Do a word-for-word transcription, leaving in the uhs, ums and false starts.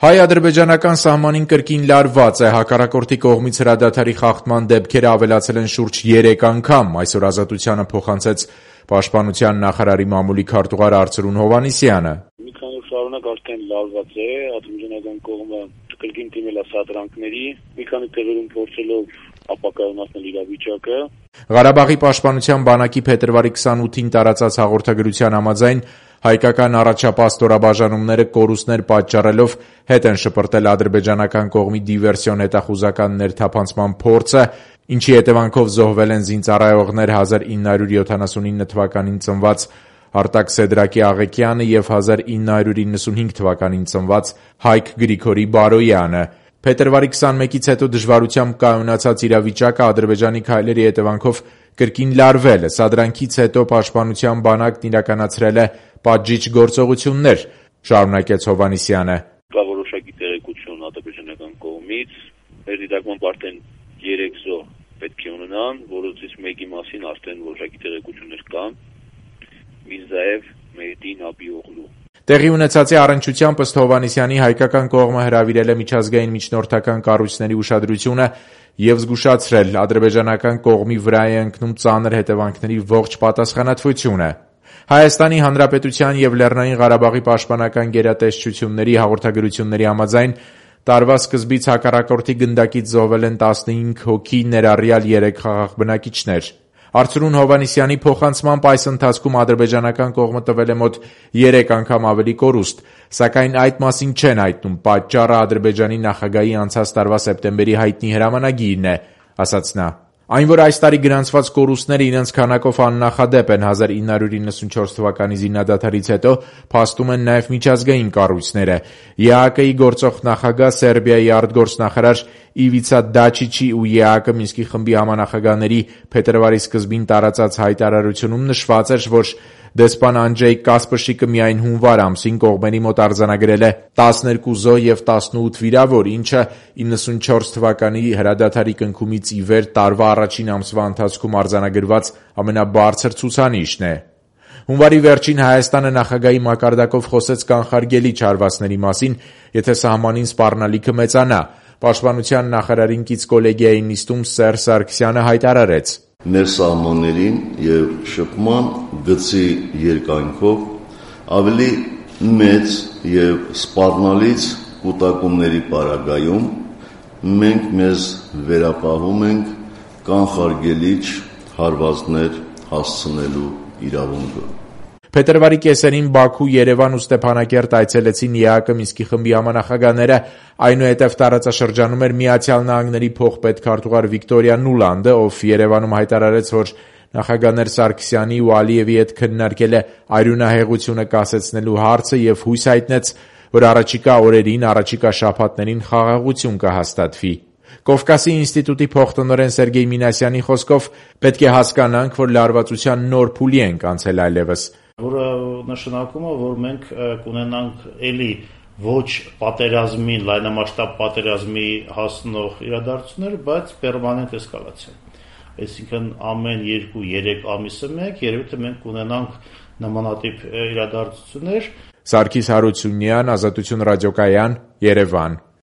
Հայ-ադրբեջանական սահմանին կրկին լարված է, հակառակորդի կողմից հրադադարի խախտման դեպքերը ավելացել են շուրջ երեք անգամ, այսօր Ազատությանը փոխանցեց Պաշտպանության նախարարի մամուլի քարտուղար Արծրուն Հովհաննիսյանը: Մի քանի օր շարունակ արդեն լարված է, ադրբեջանական կողմը կրկին դիմել է սադրանքների, մի քանի տեղերում փորձելով ապակայունացնել իրավիճակը։ Ղարաբաղի պաշտպանության բանակի փետրվարի քսանութին տարածած հաղորդագրության համաձայն հայկական առաջապահ ստորաբաժանումները կորուստներ պատճառելով հետ են շպրտել ադրբեջանական կողմի դիվերսիոն հետախուզական ներթափանցման փորձը, ինչի հետևանքով զոհվել են զինծառայողներ հազար ինը հարյուր յոթանասունինը թվականին ծնված Արտակ Սեդրակի Աղեկյանը և հազար ինը հարյուր իննսունհինգ թվականին ծնված Հայկ Գրիգորի Բարոյանը։ Փետրվարի քսանմեկից հետո դժվարությամբ կայունացած իրավիճակը Ադրբեջանի քայլերի հետևանքով կրկին լարվել է։ Սադրանքից հետո Պաշտպանության բանակն իրականացրել է պատժիչ գործողություններ, շարունակեց Հովհաննիսյանը: Կա որոշակի տեղեկություն ադրբեջանական կողմից, մեր դիտարկմամբ արդեն երեք զոհ պետք է ունենան, որոնցից մեկի մասին արդեն որոշակի տեղեկություններ կան՝ Միրզաև Մեհդի Նաբիօղլու։ Տեղի ունեցածի առնչությամբ ըստ Հովհաննիսյանի հայկական կողմը հրավիրել է միջազգային միջնորդական կառույցների ուշադրությունը և զգուշացրել ադրբեջանական կողմի վրա է ընկնում ծանր հետևանքների ողջ պատասխանատվությունը։ Հայաստանի Հանրապետության և Լեռնային Ղարաբաղի պաշտպանական գերատեսչությունների հաղորդագրությունների համաձայն տարվա սկզբից հակառակորդի գնդակից զոհվել են տասնհինգ հոգի, ներառյալ երեք խաղաղ բնակիչներ։ Արծրուն Հովհաննիսյանի փոխանցմամբ այս ընթացքում ադրբեջանական կողմը տվել է մոտ երեք անգամ ավելի կորուստ, սակայն այդ մասին չեն հայտնում, պատճառը Ադրբեջանի նախագահի անցած տարվա սեպտեմբերի հայտնի հրամանագիրն է, ասաց նա: Այն, որ այս տարի գրանցված կորուստները իրենց քանակով աննախադեպ են հազար ինը հարյուր իննսունչորս թվականի զինադադարից հետո, փաստում են նաև միջազգային կառույցները։ ԵԱՀԿ-ի գործող նախագահ, Սերբիայի արտգործնախարար Իվիցա Դաչիչի ու ԵԱՀԿ Մինսկի խմբի համանախագահների փետրվարի սկզբին տարածած հայտարարությունում նշված էր, որ դեսպան Անջեյ Կասպրշիկը միայն հունվար ամսին կողմերի մոտ արձանագրել է տասներկու զոհ և տասնութ վիրավոր, ինչը իննսունչորս թվականի հրադադարի կնքումից ի վեր տարվա առաջին ամսվա ընթացքում արձանագրված ամենաբարձր ցուցանիշն է։ Հունվարի վերջին Հայաստանը նախագահի մակարդակով խոսեց կանխարգելիչ հարվածների մասին, եթե սահմանին սպառնալիքը մեծանա։ Պաշտպանության նախարարին կից կոլեգիայի նիստում Սերժ Սարգսյանը հայտարարեց. «Մեր սահմաններին և շփման գծի երկայնքով ավելի մեծ և սպառնալից կուտակումների պարագայում մենք մեզ վերապահում ենք կանխարգելիչ հարվածներ հասցնելու իրավունքը»։ Փետրվարի կեսերին Բաքու, Երևան ու Ստեփանակերտ այցելեցին ԵԱՀԿ Մինսկի խմբի համանախագահները, այնուհետև տարածաշրջանում էր Միացյալ Նահանգների փոխպետքարտուղար Վիկտորիա Նուլանդը, ով Երևանում հայտարարեց, որ նախագահներ Սարգսյանի ու Ալիևի հետ քննարկել է արյունահեղությունը կասեցնելու հարցը և հույս հայտնեց, որ առաջիկա օրերին, առաջիկա շաբաթներին խաղաղություն կհաստատվի։ Կովկասի ինստիտուտի փոխտնօրեն Սերգեյ Մինասյանի խոսքով պետք է հասկանանք, որ լարվածության նոր փուլի ենք անցել այլևս, որը նշանակում է, որ մենք կունենանք էլի ոչ պատերազմին, լայնամասշտաբ պատերազմի հասնող իրադարձություններ, բայց պերմանենտ էսկալացիա։ Այսինքն ամեն երկու-երեք ամիսը մեկ երևի թե մենք կունենանք նմանատիպ իրադարձություններ։ Սարգիս Հարությունյան, Ազատություն ռադիոկայան, Երևան։